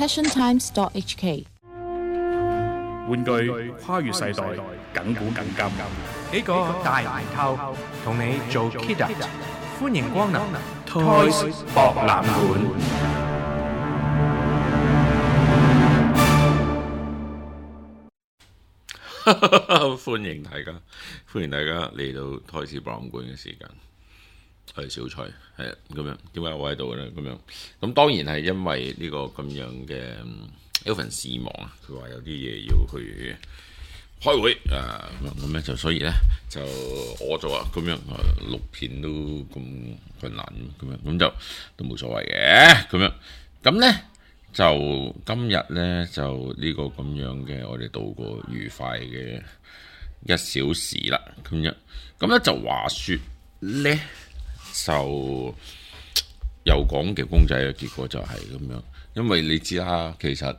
passiontimes.hk。玩具跨越世代，緊古緊今。幾個大唔透，同你做 Kida， 歡迎光臨 Toys 博覽館。歡迎大家嚟到 Toys 博覽館嘅時間。係小蔡，係啊，咁樣點解我喺度咧？咁當然係因為呢個咁樣嘅Elvin 事忙啊，佢話有啲嘢要去開會啊，咁咧就所以咧就我做啊，咁樣錄片都咁困難咁樣，咁就都冇所謂嘅咁樣。咁咧就今日咧就呢個咁樣嘅，我哋度過愉快嘅1小時啦，咁樣。咁咧就話說咧。就又講嘅公仔嘅結果就係咁樣，因為你知啦，其實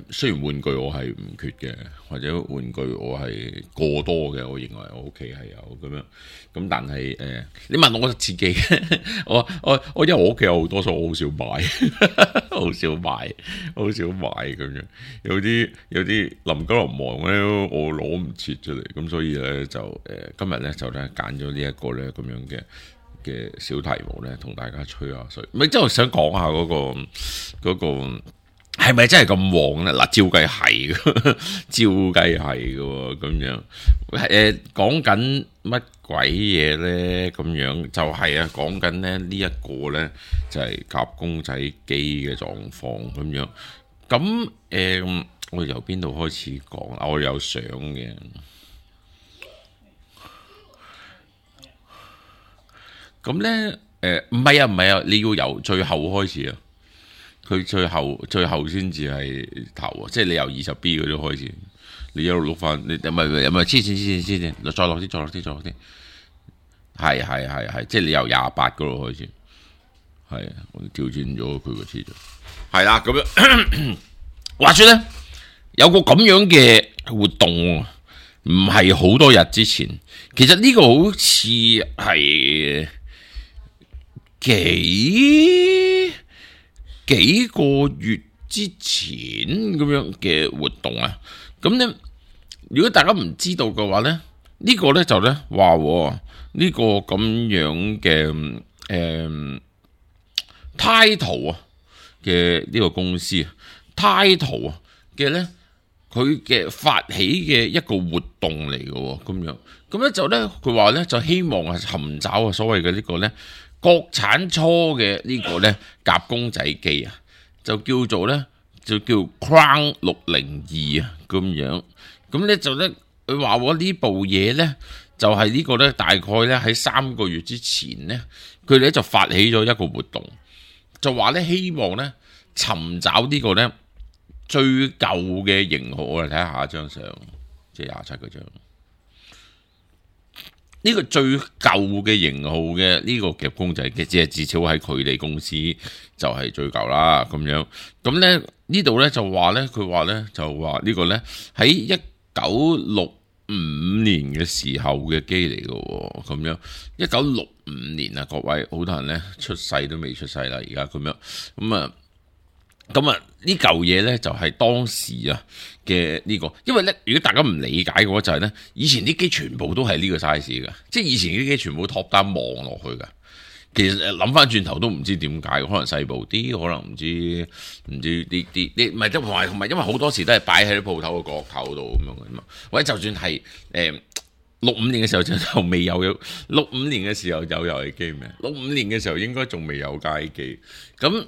雖然玩具我係唔缺嘅，或者玩具我係過多嘅，我認為我屋企係有咁樣，咁但係你問我自己，我因為我屋企有好多，所以我好少買，好少買咁樣，有啲臨急臨忙咧，我攞唔切出嚟，咁所以咧就今日咧就咧揀咗呢一個咧咁樣嘅小題目咧，同大家吹下水，咪即係想講下嗰個。係咪真係咁旺咧？嗱，照計係嘅咁樣。講緊乜鬼嘢咧？咁樣就係啊，講緊咧呢一個咧就係夾公仔機嘅狀況咁樣。咁我由邊度開始講啊？我有相嘅。咁咧唔係啊，你要由最後開始啊。佢最後先至係頭啊！即係你由20B 嗰啲開始，你一路碌翻，你唔係黐線，再落啲，係，即係你由28嗰度開始，係我調轉咗佢個次序，係啦咁樣。話說咧，有個咁樣嘅活動，唔係好多日之前，其實呢個好似係幾個月之前咁樣嘅活動啊，咁咧如果大家唔知道嘅話咧，呢個咧就咧話呢個咁樣嘅Title 啊嘅呢個公司Title 啊嘅咧，佢嘅發起嘅一個活動嚟嘅咁咧就咧佢話咧就希望係尋找啊所謂嘅呢個咧。國產初嘅呢個咧夾公仔機啊，就叫做咧就叫 Crown 602啊咁樣，咁咧就咧佢話我呢部嘢咧就係呢個咧大概咧喺3個月之前咧，佢哋咧就發起咗一個活動，就話咧希望咧尋找呢個咧最舊嘅型號，我哋睇下一張相，即係27嗰張。呢個最舊嘅型號嘅呢個夾公仔嘅，即係至少喺佢哋公司就係最舊啦咁樣。咁咧呢度咧就話咧，佢話咧就話呢個咧喺1965年嘅時候嘅機嚟嘅咁樣。1965年啊，各位好多人咧出世都未出世啦，而家咁樣咁啊呢嚿嘢咧就係當時啊嘅呢個，因為咧如果大家唔理解嘅話就係咧，以前啲機全部都係呢個 size 噶，即係以前啲機全部 top down 望落去噶。其實諗翻轉頭都唔知點解，可能細部啲，可能唔知啲唔係，同埋因為好多時都係擺喺啲鋪頭嘅角頭度咁樣嘅嘛。或者就算係65年嘅時候就未有65年嘅時候有遊戲機咩？65年嘅時候應該仲未有街機咁。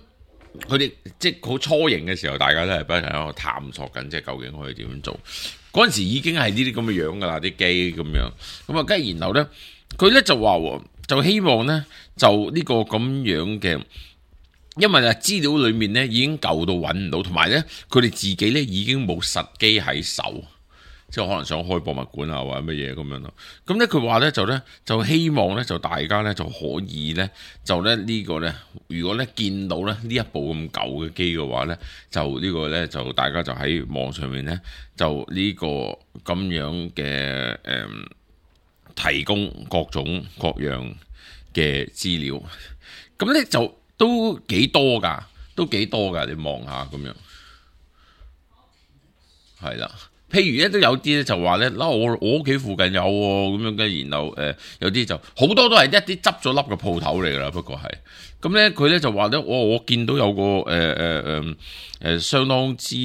佢哋即係好初型嘅時候，大家都係不停喺度探索緊，即係究竟可以點樣做。嗰陣時已經係呢啲咁嘅樣噶啦，啲機咁樣。咁啊，跟住然後咧，佢咧就話就希望咧就呢個咁樣嘅，因為啊資料裏面咧已經舊到揾唔到，同埋咧佢哋自己咧已經冇實機喺手。即係可能想開博物館啊，或者乜嘢咁樣咯。咁咧佢話咧就希望咧就大家咧就可以咧就咧呢個咧，如果咧見到咧呢一部咁舊嘅機嘅話咧，就呢個咧就大家就喺網上面咧就呢個咁樣嘅提供各種各樣嘅資料。咁咧就都幾多㗎。都幾多㗎，你望下咁樣，係啦。譬如咧都有啲咧就話咧，我屋企附近有喎，咁樣嘅，然後有啲就好多都係一啲執咗笠嘅鋪頭嚟㗎啦，不過係咁咧，佢咧就話咧，我見到有個相當之似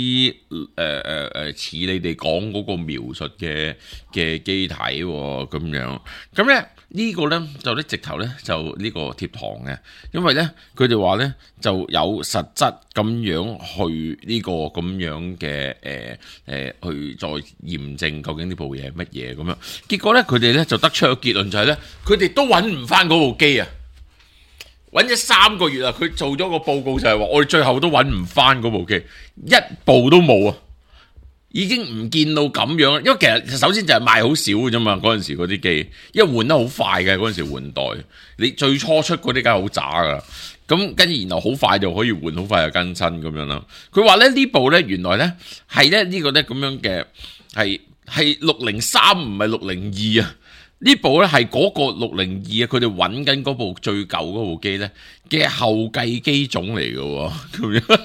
你哋講嗰個描述嘅機體喎，咁樣咁咧。呢個呢，就咧直頭呢，就呢個貼堂嘅，因為呢，佢哋話呢，就有實質咁樣去呢個咁樣嘅去再驗證究竟呢部嘢係乜嘢咁樣。結果呢，佢哋呢，就得出個結論就係呢，佢哋都揾唔翻嗰部機啊！揾咗3個月啊！佢做咗個報告就係話，我哋最後都揾唔翻嗰部機，一部都冇啊！已經唔見到咁樣，因為其實首先就係賣好少嘅啫嘛，嗰陣時嗰啲機，因為換得好快嘅，嗰陣時換代，你最初出嗰啲梗係好渣噶，咁跟住然後好快就可以換，好快就更新咁樣啦。佢話咧呢部咧原來咧係咧呢個咧咁樣嘅係603唔係602啊，呢部咧係嗰個602啊，佢哋揾緊嗰部最舊嗰部機咧嘅後繼機種嚟嘅咁樣。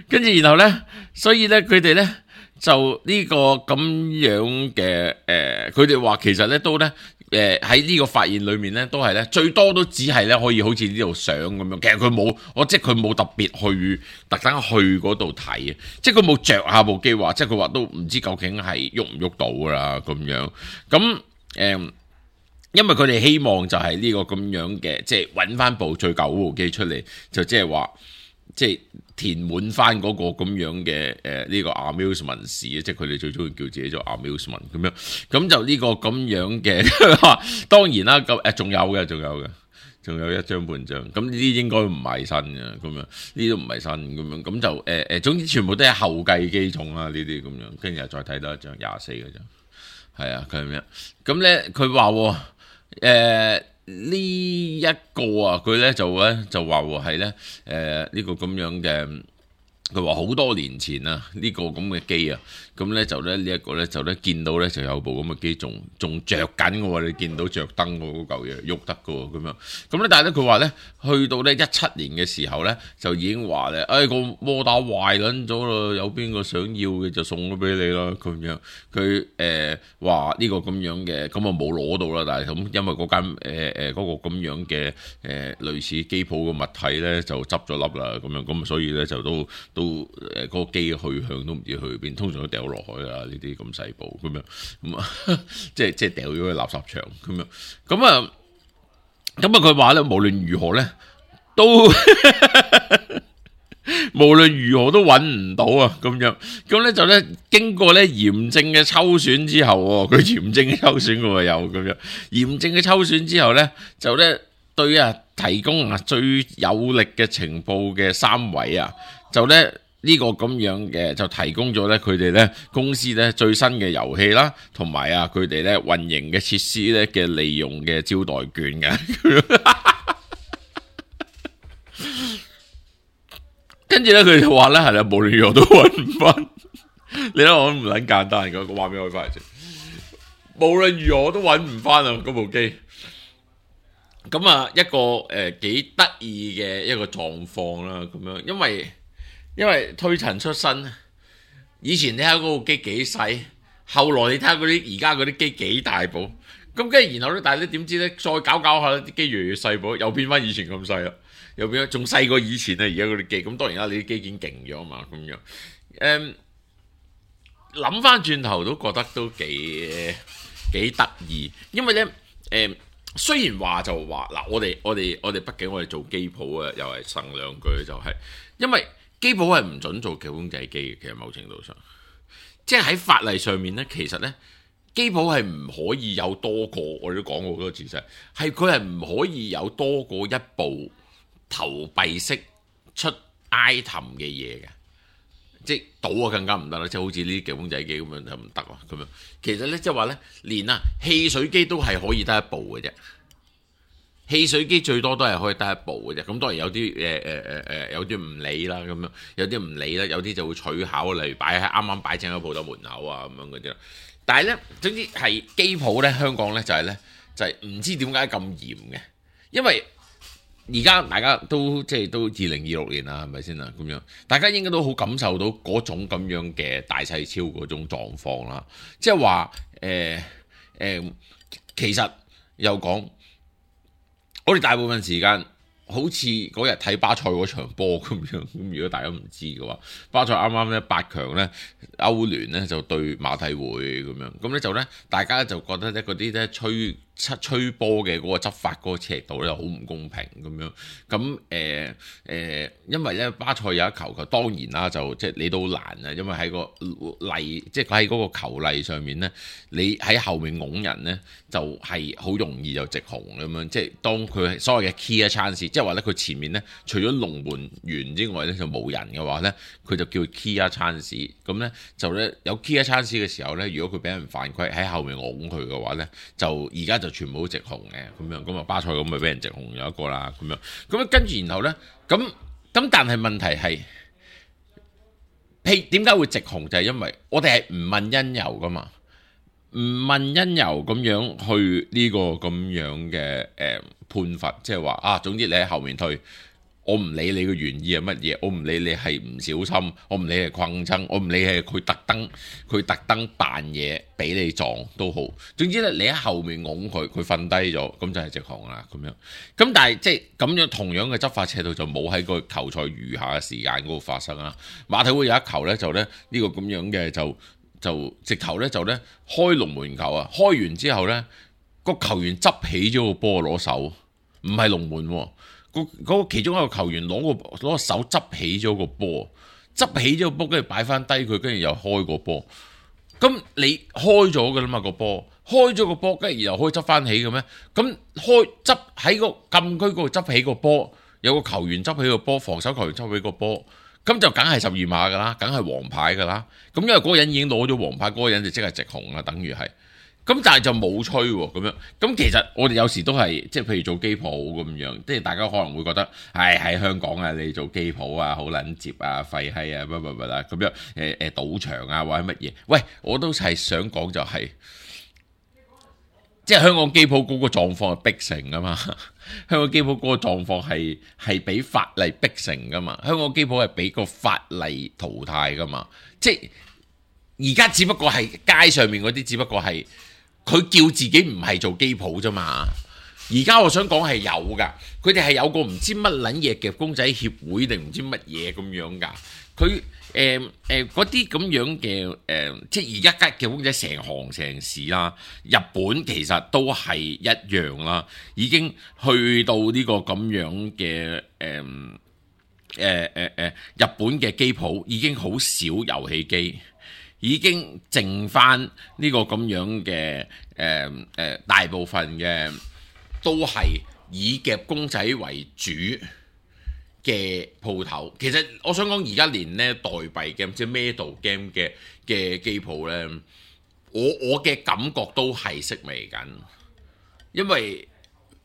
跟住然後咧，所以咧佢哋咧就呢個咁樣嘅佢哋話其實咧都咧喺呢個發現裏面咧都係咧最多都只係咧可以好似呢度相咁樣，其實佢冇即係佢冇特別特登去嗰度睇，即係佢冇着下部機話，即係佢話都唔知究竟係喐唔喐到㗎啦咁樣，咁因為佢哋希望就係呢個咁樣嘅，即係揾翻部最舊嗰部機出嚟，就即係話即係。填滿翻嗰個咁樣嘅呢個 amusement 市，即係佢哋最中意叫自己做 amusement 咁樣，咁就呢個咁樣嘅，當然啦，咁仲有一張半張，咁呢啲應該唔係新嘅，咁樣呢啲都唔係新咁樣，咁就總之全部都係後繼機種啦，呢啲咁樣，跟住又再睇多一張24嗰張，係啊，佢係咩？咁咧佢話呢一個啊，佢咧就話係咧呢個咁樣嘅，佢話好多年前啊呢個咁嘅機啊，咁咧就咧呢一個咧就咧見到咧就有部咁嘅機仲着緊嘅喎，你見到着燈嗰嚿嘢喐得嘅喎咁樣，咁咧但係咧佢話咧去到咧17年嘅時候咧就已經話咧，個摩打壞撚咗啦，有邊個想要嘅就送咗俾你啦咁樣，佢話呢個咁樣嘅，咁啊冇攞到啦，但係咁因為嗰間嗰個咁樣嘅類似機鋪嘅物體咧就執咗笠啦咁樣，咁所以咧就都嗰個機去向都唔知去邊，通常都掉落海啦，呢啲咁細部咁樣，咁啊即係掉咗去垃圾場咁樣，咁啊佢話咧無論如何咧都無論如何都揾唔到啊咁樣，咁咧就咧經過咧嚴正嘅抽選之後，佢嚴正嘅抽選喎又咁樣，嚴正嘅抽選之後咧就咧對提供最有力嘅情報嘅3位啊。就咧呢個咁樣嘅就提供咗咧佢哋咧公司咧最新嘅遊戲啦，同埋佢哋咧運營嘅設施咧嘅利用嘅招待券嘅，跟住咧佢就話咧係啦，無論如何都揾唔翻。你睇我唔撚簡單，個畫面開翻嚟先。無論如何都揾唔翻啊嗰部機。咁啊一個幾得意嘅一個狀況啦，咁樣因為推陳出新，以前你睇嗰部機幾細，後來你睇下嗰啲而家嗰啲機幾大部，咁跟住然後咧，但係你點知咧，再搞下啲機越嚟越細部，又變翻以前咁細啦，又變咗仲細過以前啊！而家嗰啲機，咁當然啦，你啲機件勁咗嘛，咁樣諗翻轉頭都覺得都幾得意，因為咧雖然話就話嗱，我哋畢竟我哋做機鋪啊，又係呻兩句就係，因為機鋪係唔準做劇公仔機嘅，其實某程度上，即係喺法例上面咧，其實咧機鋪係唔可以有多過，我哋都講過好多次，係佢係唔可以有多過一部投幣式出 item 嘅嘢嘅，即係賭啊更加唔得啦，即係好似呢啲劇公仔機咁樣就唔得啊咁樣。其實咧即係話咧，連汽水機都係可以得一部嘅啫。汽水機最多都係可以得一部嘅啫，咁當然有啲有啲唔理啦，咁樣有啲唔理啦，有啲就會取巧，例如擺喺啱啱擺正喺鋪頭門口啊咁樣嗰啲啦。但係咧，總之係機鋪咧，香港咧就係唔知點解咁嚴嘅，因為而家大家都即係都2026年啦，係咪先啊？咁樣大家應該都好感受到嗰種咁樣嘅大細超嗰種狀況啦。即係話其實又講，我哋大部分時間好似嗰日睇巴塞嗰場波咁樣。咁如果大家唔知嘅話，巴塞啱啱咧8強咧歐聯咧就對馬體會咁樣，咁咧就咧大家就覺得咧嗰啲咧吹波嘅嗰個執法嗰個尺度咧好唔公平咁樣。咁因為咧巴塞有一球，當然啦，就即係你都難啊，因為喺個例，即係佢喺嗰個球例上面咧，你喺後面拱人咧就係好容易就直紅咁樣。即係當佢所謂嘅 key chance，即係話咧佢前面咧除咗龍門員之外咧就冇人嘅話咧，佢就叫 key chance。咁咧就咧有 key chance 嘅時候咧，如果佢俾人犯規喺後面拱佢嘅話咧，就而家就全部都直紅嘅咁樣。咁啊巴塞咁咪俾人直紅有一個啦咁樣。咁跟住然後咧咁但係問題係，點解會直紅？就係因為我哋係唔問因由噶嘛，唔問因由咁樣去呢個咁樣嘅判罰，即係話啊，總之你喺後面退，我唔理你嘅原意係乜嘢，我唔理你係唔小心，我唔理係困爭，我唔理係佢特登扮嘢俾你撞都好，總之咧你喺後面拱佢，佢瞓低咗，咁就係直紅啦咁樣。咁但係即係咁樣同樣嘅執法尺度就冇喺個球賽餘下嘅時間嗰度發生啦。馬體會有一球咧就咧呢個咁樣嘅就直頭咧就咧開龍門球啊，開完之後咧個球員執起咗個波攞手，唔係龍門喎。嗰個其中一個球員攞個手執起咗個波，跟住擺翻低佢，跟住又開個波。咁你開咗㗎啦嘛個波，開咗個波，跟住又可以執翻起嘅咩？咁執喺個禁區嗰度執起個波，有個球員執起個波，防守球員執起個波，咁就梗係12碼㗎啦，梗係黃牌㗎啦。咁因為嗰個人已經攞咗黃牌，嗰個人就即係直紅啦，等於係。咁但係就冇吹喎，咁樣。咁其實我哋有時都係即係譬如做機鋪咁樣，即係大家可能會覺得，喺香港啊，你做機鋪啊，好撚接啊，廢閪啊，乜啦咁樣，賭場啊或者乜嘢？喂，我都係想講就係，即係香港機鋪嗰個狀況係逼成噶嘛，香港機鋪嗰個狀況係俾法例逼成噶嘛，香港機鋪係俾個法例淘汰噶嘛，即係而家只不過係街上面嗰啲，只不過係。佢叫自己唔係做機鋪啫嘛，而家我想講係有噶，佢哋係有個唔知乜撚嘢夾公仔協會定唔知乜嘢咁樣噶，佢嗰啲咁樣嘅即係而家夾公仔成行成市啦，日本其實都係一樣啦，已經去到呢個咁樣嘅日本嘅機鋪已經好少遊戲機。已經剩翻呢個咁樣嘅大部分嘅都係以夾公仔為主嘅鋪頭。其實我想講而家連咧代幣 game 即係 Medal game 嘅機鋪咧，我嘅感覺都係式微緊，因為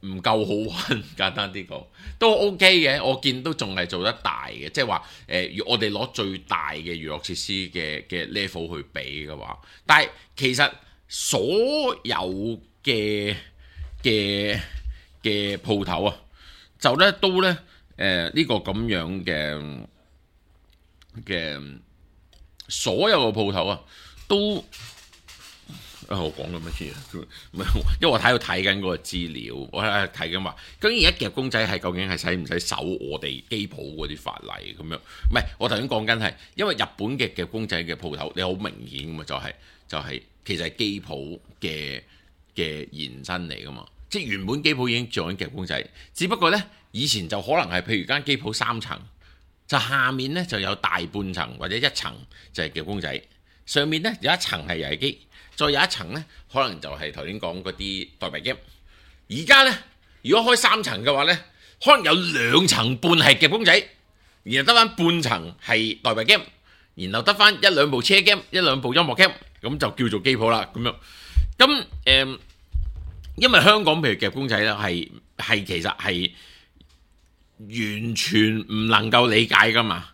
唔夠好玩，簡單啲講都 OK 嘅。我見都仲係做得大嘅，即係話我哋攞最大嘅娛樂設施嘅 level 去比嘅話，但係其實所有嘅鋪頭啊，就咧都咧呢個咁樣嘅所有嘅鋪頭啊都。我講緊乜嘢？因為我喺度睇緊嗰個資料，我喺度睇緊話，究竟而家夾公仔係究竟係使唔使守我哋機鋪嗰啲法例咁樣？唔係，我頭先講緊係，因為日本嘅夾公仔嘅鋪頭，你好明顯㗎嘛，就係其實係機鋪嘅延伸嚟㗎嘛，即係原本機鋪已經做緊夾公仔，只不過呢，以前就可能係譬如間機鋪3層，就下面呢就有大半層或者1層就係夾公仔，上面呢有1層係遊戲機。再有一層呢，可能就係頭先講嗰啲代幣 game。而家呢，如果開3層嘅話呢，可能有2層半係夾公仔，然後得翻半層係代幣 game，然後得翻1-2部車 game、1-2部音樂 game，咁就叫做機鋪啦。咁樣咁因為香港譬如夾公仔呢，係其實係完全唔能夠理解噶嘛。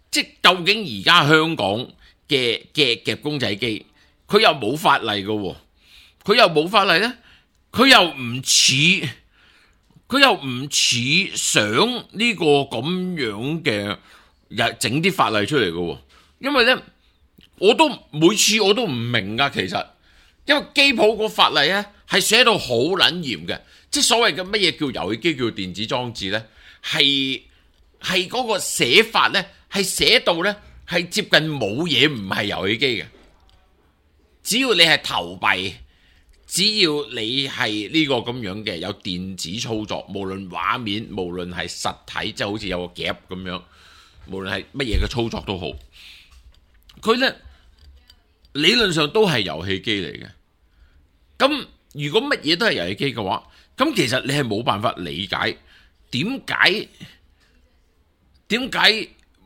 即係究竟而家香港嘅夾公仔機？佢又冇法例嘅喎，佢又冇法例咧，佢又唔似佢又唔似想呢個咁樣嘅整啲法例出嚟嘅喎，因為咧每次我都唔明噶，其實因為機鋪個法例咧係寫到好撚嚴嘅，即係所謂嘅乜嘢叫遊戲機叫電子裝置咧，係嗰個寫法咧係寫到咧係接近冇嘢唔係遊戲機嘅，只要你係投幣。只要你係呢個咁樣嘅有電子操作，無論畫面，無論係實體，即係好似有個夾咁樣，無論係乜嘢嘅操作都好，佢呢理論上都係遊戲機嚟嘅。咁如果乜嘢都係遊戲機嘅話，咁其實你係冇辦法理解點解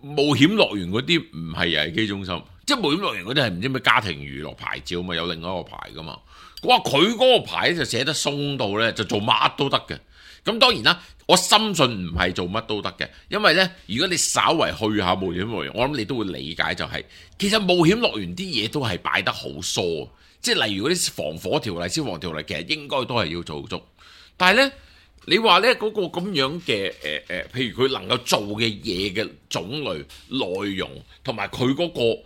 冒險樂園嗰啲唔係遊戲機中心，即係冒險樂園嗰啲係唔知咩家庭娛樂牌照嘛，有另外一個牌噶嘛。哇！佢嗰個牌就寫得鬆到咧，就做乜都得嘅。咁當然啦，我深信唔係做乜都得嘅，因為咧，如果你稍為去下冒險樂園，我諗你都會理解就係、其實冒險樂園啲嘢都係擺得好疏，即係例如嗰啲防火條例、消防條例，其實應該都係要做足。但係咧，你話咧嗰個咁樣嘅譬如佢能夠做嘅嘢嘅種類、內容同埋佢嗰個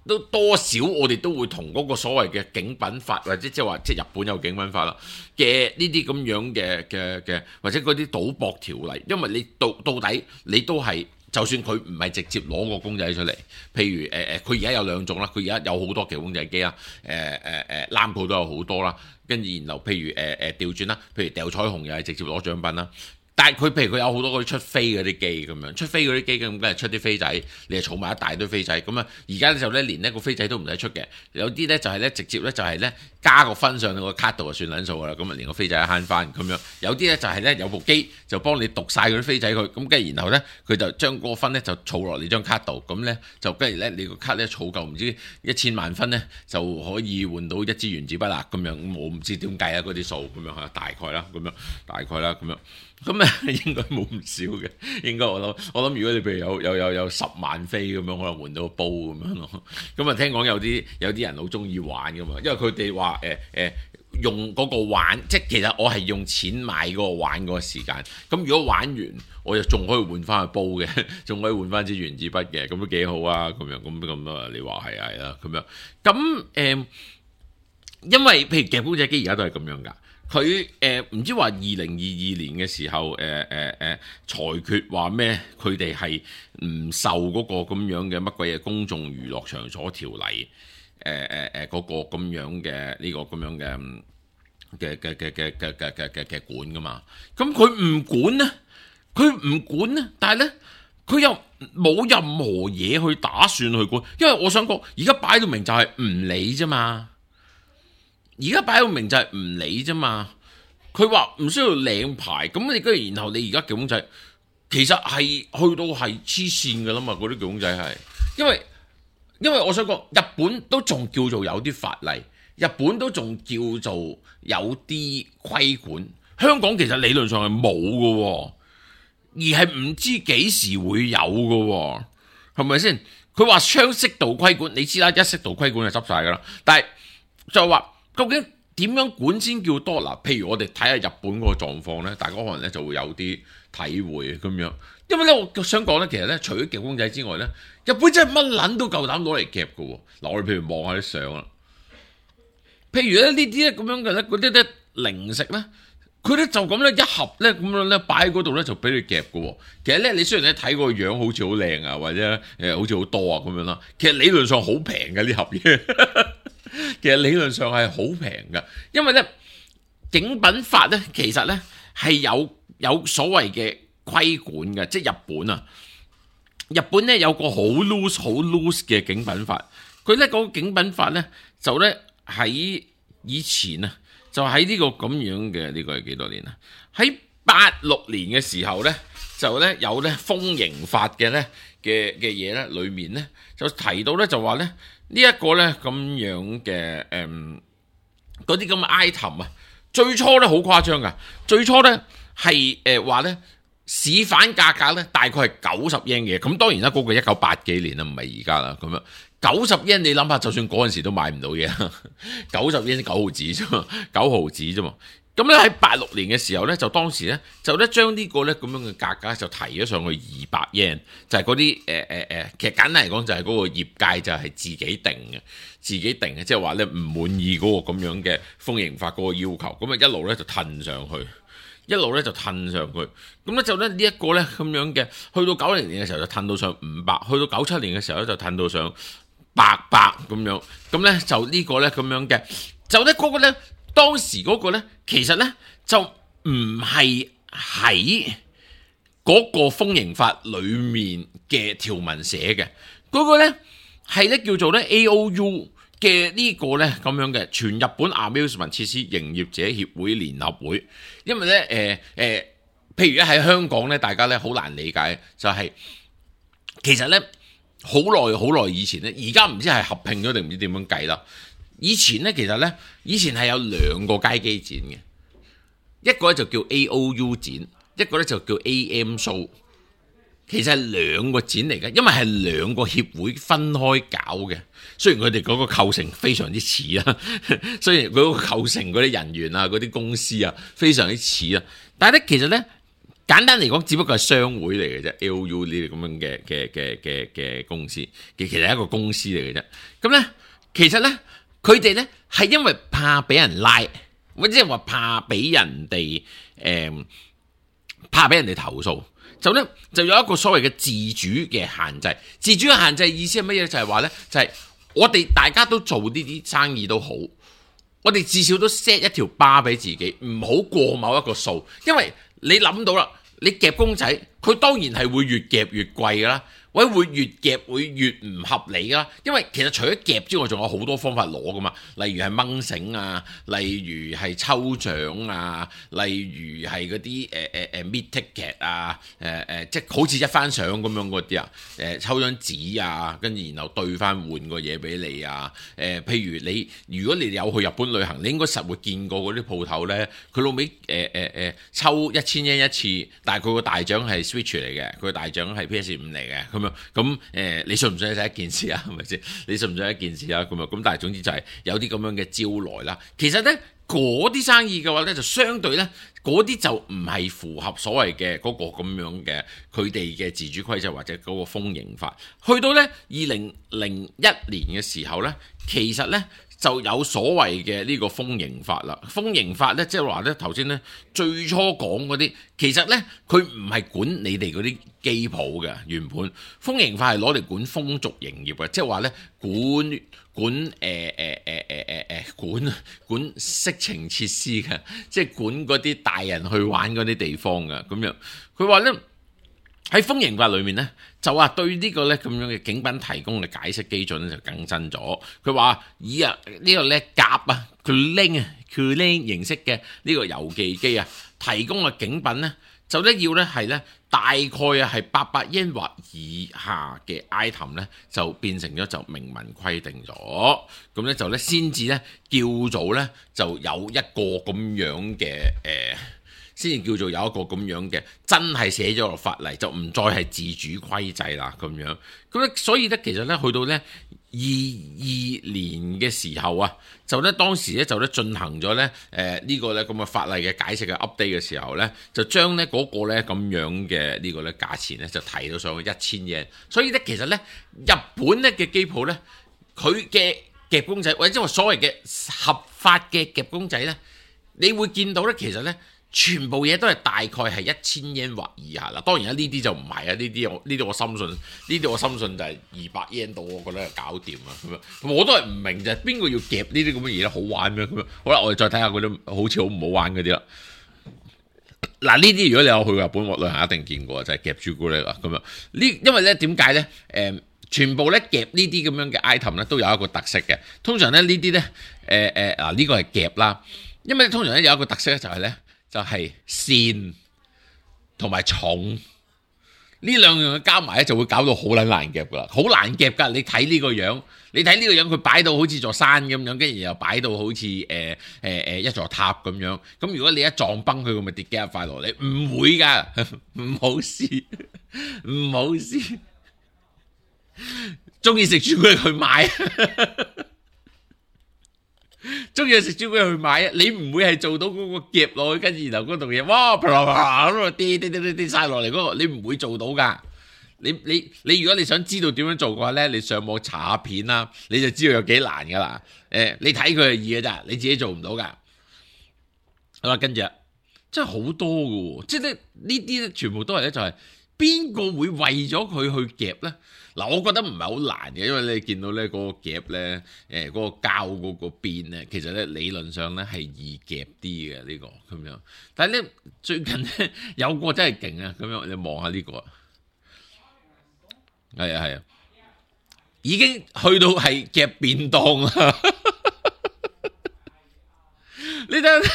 都多少我哋都會同嗰個所謂嘅警品法，或者即係話即係日本有警品法啦嘅呢啲咁樣嘅或者嗰啲賭博條例，因為你到底你都係就算佢唔係直接攞個公仔出嚟，譬如佢而家有兩種啦，佢而家有好多嘅公仔機啦，攬鋪都有好多啦，跟住然後譬如調轉啦，譬如掉彩虹又係直接攞獎品啦。但係佢譬如佢有好多嗰啲出飛嗰啲機咁樣，出飛嗰啲機咁梗係出啲飛仔，你係儲埋一大堆飛仔咁啊！而家就咧連呢個飛仔都唔使出嘅，有啲咧就係咧直接咧就係咧加個分上個卡度就算撚數噶啦，咁啊連個飛仔慳翻咁樣。有啲咧就係咧有部機就幫你讀晒嗰啲飛仔佢，咁跟住然後咧佢就將嗰個分咧就儲落你張卡度，咁咧就跟住咧你個卡咧儲夠唔知1000萬分咧就可以換到一支原子筆啦咁樣。我唔知點計啊嗰啲數咁樣嚇，大概啦咁樣，咁啊，應該冇唔少嘅，應該我諗，如果你譬如有10萬飛咁樣，可能換到個煲咁樣咯。咁啊，聽講有啲人好中意玩噶嘛，因為佢哋話用嗰個玩，即係其實我係用錢買嗰個玩嗰個時間。咁如果玩完，我又仲可以換翻去煲嘅，仲可以換翻支原子筆嘅，咁都幾好啊！咁樣咁啊，你話係啦，咁樣咁因為譬如夾公仔機而家都係咁樣噶。佢唔知話2022年嘅時候裁決話咩？佢哋係唔受嗰個咁樣嘅乜鬼嘢公眾娛樂場所條例嗰個咁樣嘅呢個咁樣嘅管噶嘛？咁佢唔管呢，但係咧佢又冇任何嘢去打算去管，因為我想講而家擺到明就係唔理啫嘛。佢話唔需要領牌，咁你跟住然後你而家夾公仔，其實係去到係黐線噶啦嘛，嗰啲夾公仔係，因為我想講日本都仲叫做有啲法例，日本都仲叫做有啲規管，香港其實理論上係冇噶，而係唔知幾時會有噶，係咪先？佢話雙適度規管，你知啦，一適度規管就執晒噶啦，但係就話究竟點樣管先叫多嗱？譬如我哋睇下日本嗰個狀況咧，大家可能咧就會有啲體會咁樣。因為咧，我想講咧，其實咧，除咗夾公仔之外咧，日本真係乜撚都夠膽攞嚟夾嘅喎。嗱，我哋譬如望下啲相啦，譬如咧呢啲咧咁樣嘅咧，嗰啲咧零食咧，佢咧就咁咧一盒咧咁樣咧擺喺嗰度咧就俾你夾嘅喎。其實咧，你雖然咧睇個樣好似好靚啊，或者好似好多啊咁樣啦，其實理論上好平嘅呢盒嘢。其實理論上係好平嘅，因為咧景品法咧其實咧係有所謂嘅規管嘅，即係日本咧有個好 loose 嘅景品法，佢咧嗰個景品法咧就咧喺以前啊，就喺呢個咁樣嘅呢個係幾多年啊？喺86年嘅時候咧，就咧有咧風刑法嘅咧嘅嘢咧，裏面咧就提到咧就話咧。呢一個咧咁樣嘅嗰啲咁嘅 item 啊，最初咧好誇張噶，最初咧係話咧市販價格咧大概係90 yen 嘅，咁當然啦，嗰個1980幾年啦，唔係而家啦，咁樣90 yen 你諗下，就算嗰陣時都買唔到嘢，90 yen 9毫子啫嘛，9毫子啫嘛，咁咧喺86年嘅時候咧，就當時咧就咧將呢個咧咁樣嘅價格就提咗上去200 yen，就係嗰啲其實簡單嚟講就係嗰個業界就係自己定嘅，即係話咧唔滿意嗰個咁樣嘅豐刑法嗰個要求，咁啊一路咧就褪上去。咁咧就咧呢一個咧咁樣嘅，去到90年嘅時候就褪到上500，去到97年嘅時候咧就褪到上800咁樣，咁咧就呢個咧咁樣嘅，就咧嗰個咧當時嗰個咧其實咧就唔係喺嗰個豐刑法裡面嘅條文寫嘅，嗰個咧係咧叫做咧 AOU。嘅呢個咧咁樣嘅全日本 amusement 設施營業者協會聯合會，因為咧譬如咧喺香港咧，大家咧好難理解，就係、其實咧好耐以前咧，而家唔知係合併咗定唔知點樣計啦。以前咧其實咧，以前係有2個街機展嘅，一個咧就叫 AOU 展，一個咧就叫 AM Show。其實係2個展嚟嘅，因為係2個協會分開搞嘅。雖然佢哋嗰個構成非常之似啊，雖然佢嗰個構成嗰啲人員啊、嗰啲公司啊非常之似啊，但係咧其實咧簡單嚟講，只不過係商會嚟嘅啫。AOU 呢啲咁樣嘅公司，其實係一個公司嚟嘅啫。咁咧其實咧佢哋咧係因為怕俾人拉，或者係話怕俾人哋投訴。就有一個所謂嘅自主嘅限制，自主嘅限制意思係乜嘢？就係話呢，就係我哋大家都做呢啲生意都好，我哋至少都 set 一條 bar 俾自己，唔好過某一個數，因為你諗到啦，你夾公仔，佢當然係會越夾越貴噶啦。或者會越夾會越唔合理啦，因為其實除咗夾之外，仲有好多方法攞噶嘛，例如係掹繩啊，例如係抽獎啊，例如係嗰啲meet ticket 啊，即係好似一番賞咁樣嗰啲啊，抽張紙啊，跟住然後兌翻換個嘢俾你啊，譬如如果你有去日本旅行，你應該實會見過嗰啲鋪頭咧，佢老尾抽1000 yen 一次，但係佢個大獎係 Switch 嚟嘅，佢個大獎係 PS5嚟嘅，咁你信唔信係一件事啊？係咪先？你信唔信係一件事啊？咁但係總之就係有啲咁樣嘅招來啦。其實咧嗰啲生意嘅話咧，就相對咧嗰啲就唔係符合所謂嘅嗰個咁樣嘅佢哋嘅自主規則或者嗰個豐刑法。去到咧2001年嘅時候咧，其實咧就有所謂嘅呢個豐刑法啦。豐刑法咧，即係話咧頭先咧最初講嗰啲，其實咧佢唔係管你哋嗰啲機鋪嘅，原本豐刑法係攞嚟管風俗營業嘅，即係話咧管色情設施嘅，即係管嗰啲大人去玩嗰啲地方嘅咁樣。佢話咧喺豐刑法裏面咧，就話對呢個咧咁樣嘅警品提供嘅解釋基準咧就更新咗。佢話以呢個咧夾啊，Kuling 形式嘅呢個郵寄機啊，提供嘅警品咧就咧要咧係咧大概啊係800 yen 或以下嘅 item 咧就變成咗就明文規定咗，咁咧就咧先至咧叫做咧就有一個咁樣嘅先至叫做有一個咁樣嘅真係寫咗落法例，就唔再係自主規制啦咁樣。咁咧所以咧其實咧去到咧22年嘅時候啊，就咧當時咧就咧進行咗咧呢個咧咁嘅法例嘅解釋嘅 update 嘅時候咧，就將咧嗰個咧咁樣嘅呢個咧價錢咧就提到上去1000 yen。所以咧其實咧日本咧嘅機鋪咧，佢嘅夾公仔或者話所謂嘅合法嘅夾公仔咧，你會見到咧其實咧全部嘢都係大概係1000 yen 或以下啦。當然啦，呢啲就唔係啊，呢啲我深信就係200 yen 到，我覺得係搞掂啊咁樣。我都係唔明就係邊個要夾呢啲咁嘅嘢咧，好玩咩咁樣？好啦，我哋再睇下嗰啲好似好唔好玩嗰啲啦。嗱，呢啲如果你有去過日本旅行，一定見過就係夾朱古力啊咁樣。因為咧點解咧？全部咧夾呢啲咁樣嘅 item 咧都有一個特色嘅。通常咧呢啲咧呢個係夾啦，因為通常咧有一個特色咧就係咧。就係線同埋重呢兩樣嘅加埋咧，就會搞到好撚難夾噶啦，好難夾噶。你睇呢個樣，佢擺到好似座山咁樣，跟住又擺到好似一座塔咁樣。咁如果你一撞崩佢，咁咪跌幾廿塊落嚟？唔會噶，唔好試，唔好試。中意食朱古力去買。中意食朱古力去買啊！你唔會係做到嗰個夾落去，跟住然後嗰度嘢，哇啪啦啪咁啊跌晒落嚟嗰個，你唔會做到㗎。你如果你想知道點樣做嘅話咧，你上網查下片啦，你就知道有幾難㗎啦。你睇佢係易㗎咋，你自己做唔到㗎。好啦，跟住真係好多㗎喎，即係咧呢啲咧全部都係咧就係邊個會為咗佢去夾咧？嗱，我覺得唔係好難嘅，因為你見到咧嗰個夾咧，嗰個膠嗰個邊咧，其實咧理論上咧係易夾啲嘅呢個咁樣。但係咧最近咧有個真係勁啊，咁樣你望下呢個，係啊，已經去到係夾便當啦。你睇下。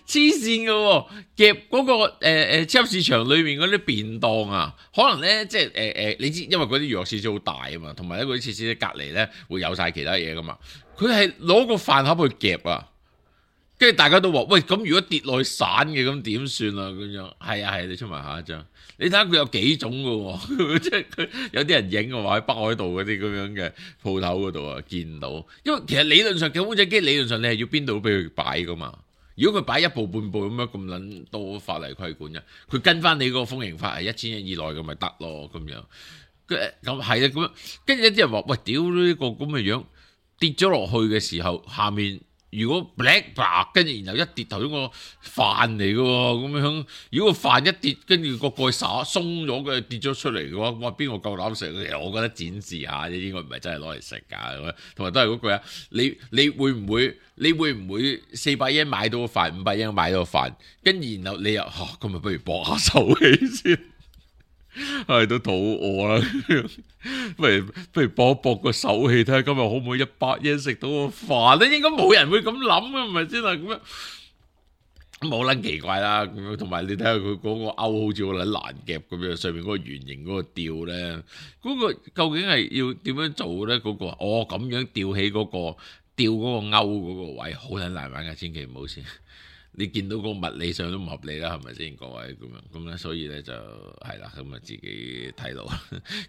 黐線嘅喎，夾嗰個超級市場裏面嗰啲便當啊，可能咧即係你知，因為嗰啲娛樂設施好大啊嘛，同埋咧嗰啲設施隔離咧會有晒其他嘢噶嘛，佢係攞個飯盒去夾啊，跟住大家都話喂，咁如果跌落去散嘅咁點算啊？咁樣係啊，你出埋下一張，你睇下佢有幾種嘅喎，即係佢有啲人影嘅話喺北海道嗰啲咁樣嘅鋪頭嗰度啊見到，因為其實理論上嘅公仔機理論上你係要邊度俾佢擺噶嘛。如果佢擺一步半步咁樣咁撚多法例規管嘅，佢跟翻你嗰個風刑法係1000日以內咁咪得咯咁樣。咁係啊咁樣，跟住有啲人話喂，屌呢個咁嘅樣跌咗落去嘅時候，下面如果 black 白，跟住然後一跌頭先個飯嚟嘅喎，咁樣如果個飯一跌，跟住個蓋灑鬆咗嘅跌咗出嚟嘅話，哇邊個夠膽食？其實我覺得展示下啫，應該唔係真係攞嚟食㗎。同埋都係嗰句啊，你會唔會400yen買到個飯，500yen買到個飯，跟住然後你又咁咪不如搏下手氣先。係都肚餓啦，不如搏一搏個手氣，睇下今日可唔可以100yen食到個飯咧？應該冇人會咁諗啊，係咪先啊？咁樣冇撚奇怪啦。咁樣同埋你睇下佢嗰個鈎好似好撚難夾咁樣，上面嗰個圓形嗰個吊咧，嗰個究竟係要點樣做咧？嗰個咁樣吊起嗰個吊嗰個鈎嗰個位，好撚難玩㗎，千祈唔好先。你見到個物理上都唔合理啦，係咪先各位咁樣咁咧？所以咧就係啦，咁啊自己睇路，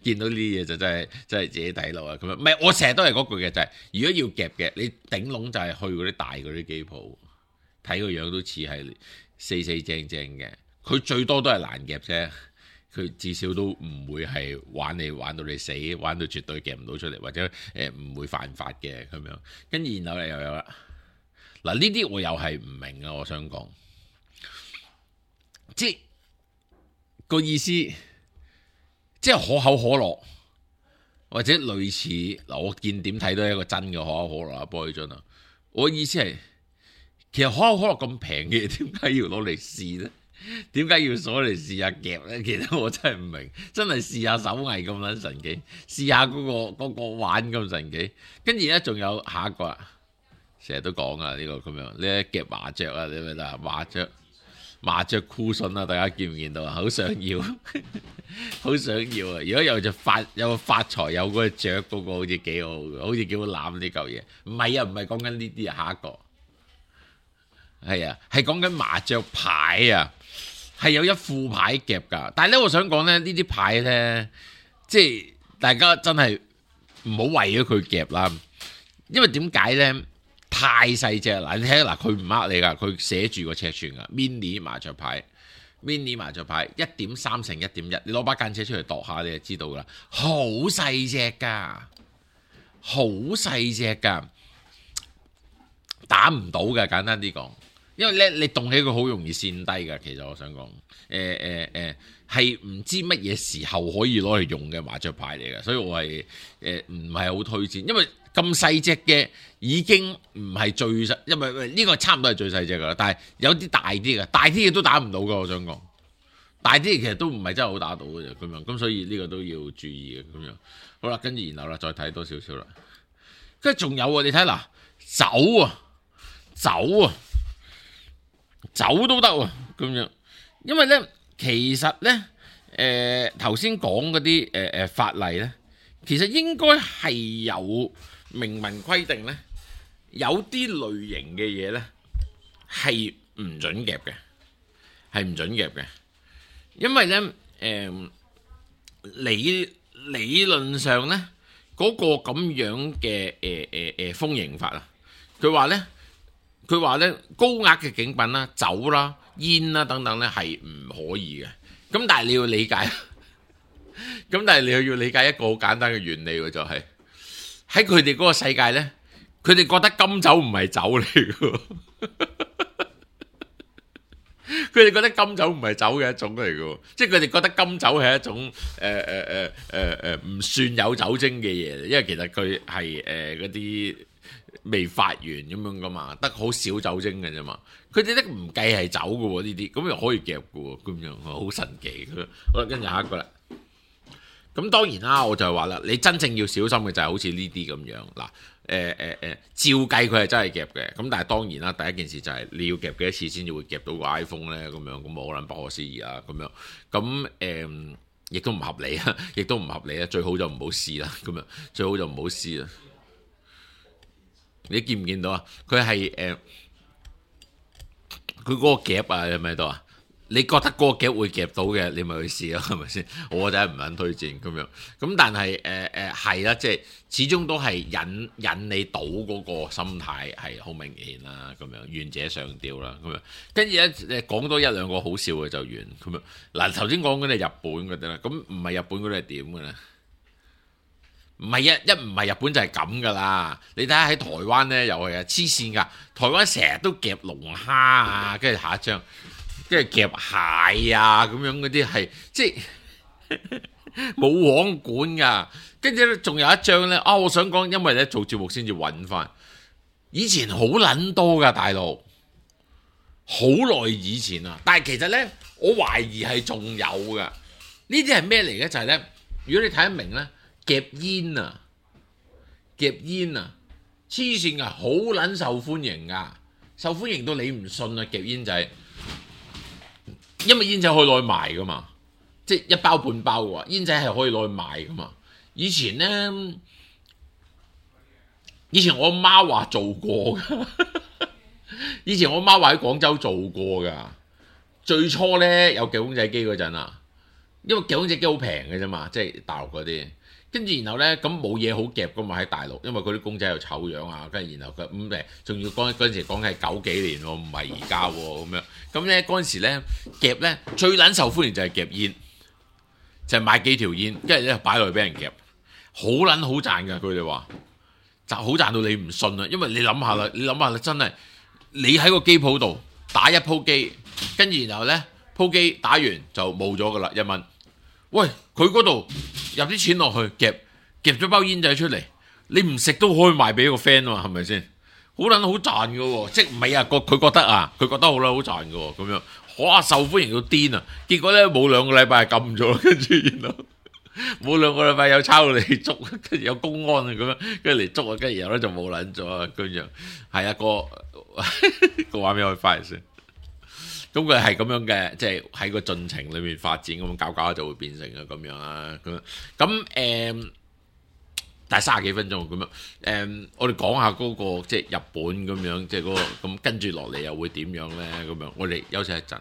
見到呢啲嘢就真係自己睇路啊！咁樣唔係我成日都係嗰句嘅，就係如果要夾嘅，你頂籠就係去嗰啲大嗰啲機鋪，睇個樣都似係四正正嘅，佢最多都係難夾啫，佢至少都唔會係玩到你死，玩到絕對夾唔到出嚟，或者唔會犯法嘅咁樣。跟住然後又有啦。嗱，呢啲我又係唔明啊！我想講，即係個意思，即係可口可樂或者類似嗱，我見點睇都係一個真嘅可口可樂啊，玻璃樽啊！我意思係，其實可口可樂咁平嘅嘢，點解要攞嚟試咧？點解要攞嚟試下夾咧？其實我真係唔明，真係試下手藝咁撚神奇，試下嗰個玩咁神奇，跟住咧仲有下一個啊！成日都講啊，呢個咁樣，呢夾麻雀啊，你明唔明啊？麻雀箍筍啊，大家見唔見到啊？好想要，好想要啊！如果有個發財有嗰隻雀嗰個，好似幾好嘅，好似幾好攬呢嚿嘢。唔係啊，唔係講緊呢啲啊，下一個係啊，係講緊麻雀牌啊，係有一副牌夾㗎。但係咧，我想講咧，呢啲牌咧，即係大家真係唔好為咗佢夾啦，因為點解咧？太細隻嗱，你睇下嗱，佢唔呃你噶，佢寫住個尺寸噶 ，mini 麻雀牌1.3乘1.1，你攞把間尺出嚟度下，你就知道啦，好細隻噶，好細隻噶，打唔到嘅，簡單啲講，因為咧你動起佢好容易跣低噶，其實我想講，係唔知乜嘢時候可以攞嚟用嘅麻雀牌嚟嘅，所以我係唔係好推薦，因為咁細隻嘅已經唔係最細，因為呢個差唔多係最細隻噶啦。但係有啲大啲嘅，大啲嘅都打唔到噶。我想講，大啲嘅其實都唔係真係好打到嘅啫。咁樣咁，所以呢個都要注意嘅。咁樣好啦，跟住然後啦，再睇多少少啦。跟住仲有啊，你睇嗱，酒都得喎。咁樣，因為咧，其實咧，頭先講嗰啲法例咧，其實應該係有明文規定咧，有啲類型嘅嘢咧係唔準夾嘅，因為咧理論上咧嗰個咁樣嘅風刑法啊，佢話呢，高額嘅景品啦、酒啦、煙啦等等呢係唔可以嘅。咁但係你要理解，咁但係你又要理解一個好簡單嘅原理喎，就係喺佢哋嗰個世界呢，佢哋覺得金酒唔係酒嚟嘅。佢哋覺得金酒唔係酒嘅一種嚟嘅，即係佢哋覺得金酒係一種唔算有酒精嘅嘢，因為其實佢係嗰啲未發完咁樣噶嘛，得好少酒精嘅啫嘛。佢哋都唔計係酒嘅喎呢啲，咁又可以夾嘅喎，咁樣好神奇。好啦，跟住下一個啦。咁當然啦，我就係話啦，你真正要小心嘅就係好似呢啲咁樣嗱。照計佢係真係夾嘅，咁但係當然啦，第一件事就係你要夾幾多次先至會夾到個 iPhone 咧，咁樣咁冇可能不可思議啦，咁樣咁亦都唔合理啊，亦都唔合理啊，最好就唔好試啦，咁樣最好就唔好試啦。你見唔見到啊？佢係佢嗰個夾啊，係咪喺度啊？你覺得嗰個夾會夾到嘅，你咪去試咯，係咪先？我真係唔肯推薦咁樣。咁但係係啦，即係始終都係引你賭嗰個心態係好明顯啦，咁樣願者上釣啦，咁樣跟住咧講多一兩個好笑嘅就完咁樣。嗱，頭先講嗰啲係日本嗰啲啦，咁唔係日本嗰啲係點嘅咧？唔係一唔係日本就係咁噶啦。你睇下喺台灣咧又係啊，黐線㗎！台灣成日都夾龍蝦啊，跟住下一張。跟住夾蟹啊，咁樣嗰啲係即係冇網管噶。跟住咧，仲有一張咧我想講，因為咧做節目先至揾翻。以前好撚多噶，大陸好耐以前啊。但係其實咧，我懷疑係仲有噶。呢啲係咩嚟嘅？就係咧，如果你睇得明咧，夾煙啊，黐線噶，好撚受歡迎噶，受歡迎到你唔信啊！夾煙仔。因為煙仔可以攞去賣噶嘛，即係一包半包嘅話，煙仔係可以攞去賣噶嘛。以前我媽話做過噶，以前我媽話喺廣州做過噶。最初咧有夾公仔機嗰陣啊，因為夾公仔機好平嘅啫嘛，即係大陸嗰啲。跟住然後咧，咁冇嘢好夾噶嘛喺大陸，因為嗰啲公仔又醜樣啊，跟住然後佢仲要嗰陣時講係90幾年喎，唔係而家喎咁樣。咁咧嗰陣時咧夾咧最撚受歡迎就係夾煙，就係買幾條煙，跟住咧擺落去俾人夾，好撚好賺㗎。佢哋話就好賺到你唔信啊，因為你諗下啦，真係你喺個機鋪度打一鋪機，跟住然後咧鋪機打完就冇咗㗎啦，1蚊。喂，佢嗰度入啲錢落去夾咗包煙仔出嚟，你唔食都可以賣俾個 friend 啊嘛，係咪先？好撚好賺嘅喎，即係唔係啊？佢覺得好撚好賺嘅喎，咁樣哇受歡迎到癲啊！結果咧冇2個禮拜係禁咗，跟住然後冇2個禮拜有抄嚟捉，跟住有公安啊咁樣，跟住嚟捉啊，跟住然後咧就冇撚咗啊，咁樣係啊個畫面可以翻嚟先。咁佢係咁樣嘅，即係喺個進程裏面發展，咁搞就會變成啊咁樣啊咁但係30幾分鐘咁樣我哋講下嗰個即係日本咁樣，即係嗰個咁跟住落嚟又會點樣咧？咁樣我哋休息一陣。